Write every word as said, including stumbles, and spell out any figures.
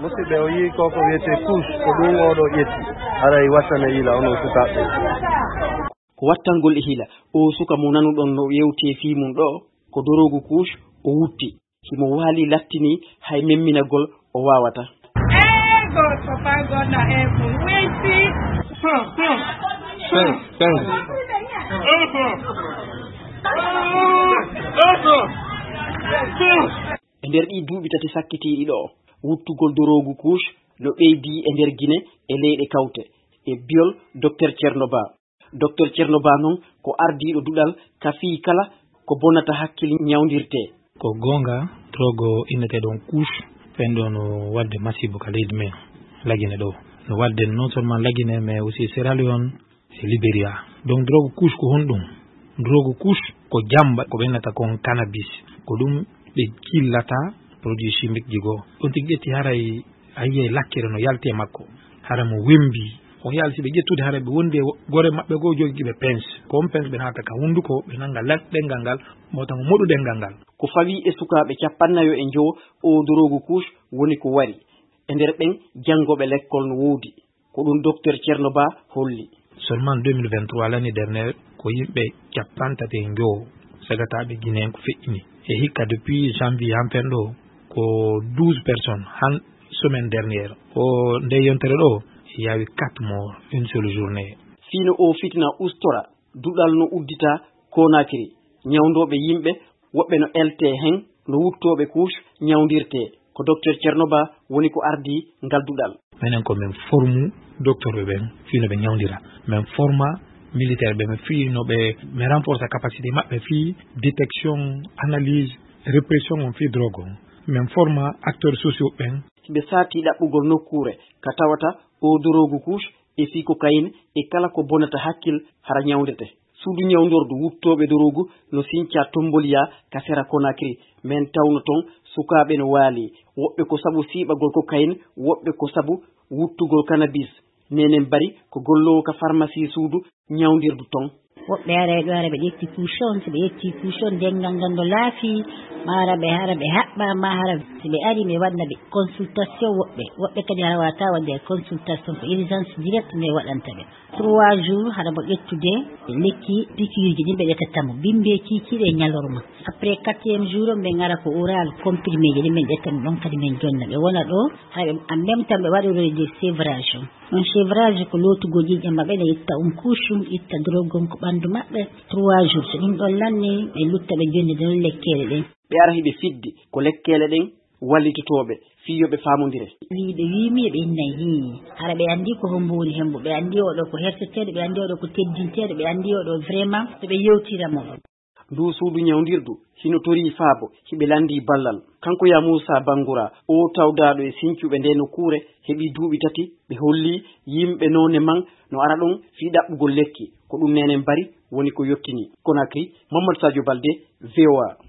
Musidɓe, o yii ko ko wiyetee couche, ko ɗum o ɗo ƴetti. Haray wattane yila onon sukaaɓe. Ko wattangol e hila. O suka mo nanuɗon no yewtee fii mum ɗo, ko doroogu couche o wutti. Himo waali lattini hay memminagol o waawata. Ego, papa, gonna ego. Wait, see. Thanks, thanks. E nder ɗii duuɓi tati sakkitiiɗi ɗo, wuttugol doroogu couche no ɓeydii e nder Gine e leyɗe kawte, e biol Doktor Ceerno Ba. Doktor Ceerno Ba noon ko ardiiɗo duɗal ka fii kala ko bonata hakkil ñawndirtee. Ko goonga, drogue o inneteeɗo on couche, ɓen ɗo no waɗde masiibo ka leydi men, Lagine ɗo. No waɗde non seulement Lagine, mais aussi Sierra Leone, e Liberia. Donc, drogue couche ko honɗum? Drogue couche ko jamba ko ɓe innata kon cannabis. Ko ɗum ɓe jillata produit chimique ji goo. On tigi ƴetti haray a yi'ay lakkere no yalti e makko. Hara mo wembi. On yalti ɓe ƴettude hara ɓe wondi e wo-, gore maɓɓe goo jogiiɓe pince. Ko on pince ɓe naata ka hunduko, ɓe nanga la-, ɗengal ngal, mo tan moɗu ɗengal ngal. Ko fawii e sukaaɓe cappannayo e njowo, o doroogu couche woni ko wari. E nder ɓen, janngooɓe lekkol no woodi. Ko ɗum Doktor Ceerno Ba holli. Seulement deux mille vingt-trois, l'année dernière, ko yimɓe cappanɗe tati e njowo sagataaɓe Guinée ko feƴƴini. E hikka depuis janvier han fen ɗo, ko douze personnes, han semaine dernière. O nde yontere ɗo, yaawi quatre morts, une seule journée. Fii no o fitina ustora, duɗal no uddita Conakry. Ñawndooɓe yimɓe, woɓɓe no eltee hen, no wuttooɓe couche ñawndirtee. Ko Doktor Ceerno Ba woni ko ardii ngal duɗal. Menen ko men formu docteur ɓe ɓen fii no ɓe ñawndira. Men forma militaire ɓe, men fii no ɓe, men renforcer capacité maɓɓe fii détection, analyse, répression on fii drogue on. Men forma acteurs sociaux ɓen. Ɓe saati ɗaɓɓugol nokkuure ka tawata o doroogu couche e fii cocaïne e kala ko bonata hakkil hara ñawndete. Suudu ñawndordu wuttooɓe doroogu no sinca Tomboliya ka sera Conakry. Men tawno ton sukaaɓe no waali. Woɓɓe ko sabu siiɓagol cocaïne, woɓɓe ko sabu wuttugol cannabis. Nenen Bari ko golloowo ka pharmacie suudu ñawndirdu ton. Woɓɓe aray ɗo, hara ɓe ƴetti couche on, si ɓe ƴetti couche on, dengal ngal no laafi, ma hara ɓe, hara ɓe haɓɓa, ma hara si ɓe ari, mi waɗna ɓe consultation woɓɓe. Woɓɓe kadi hara wata waɗde consultation, ko urgence direct mi waɗanta ɓe. Trois jours, hara mo ƴettude lekki piqûre ji ɗin ɓe ƴettata mo. Bimbe kiikiiɗe e ñalorma. Après quatrième jour, ɓe ngara ko oral, comprimé ji ɗin ɓe ƴetta ɗum ɗon kadi men jonna. Ɓe wona ɗo, hara ɓe, en même temps ɓe waɗa ɗo des sevrages. On sevrage ko lootugol ƴiiƴam maɓɓe, ɓe itta on couche, itta drogue on ko ɓandu maɓɓe. Trois jours, so ɗum ɗon lanni, ɓe lutta ɓe jonnida ɗon lekkeele ɗen. Ɓe ara hiɓe fiddi ko lekkeele ɗen wallitotooɓe fii yo ɓe faamondire. Wii ɓe wiimi e ɓe innay hii. Hara ɓe anndi ko hombo woni hembo, ɓe anndi oɗo ko herseteeɗo, ɓe anndi oɗo ko teddinteeɗo, ɓe anndi oɗo vraiment so ɓe yewtira mo. Ndu suudu ñawndirdu hino torii faabo, hiɓe lanndii ballal. Kanko ya Muusa Bangura, o tawdaaɗo e sincuɓe ndee nokkuure, heɓii duuɓi tati, ɓe hollii yimɓe noone man no ara ɗon fii ɗaɓɓugol lekki. Ko ɗum Neenen Bari woni ko yottini. Conakry, Mamadou Sadio Balde, V O A.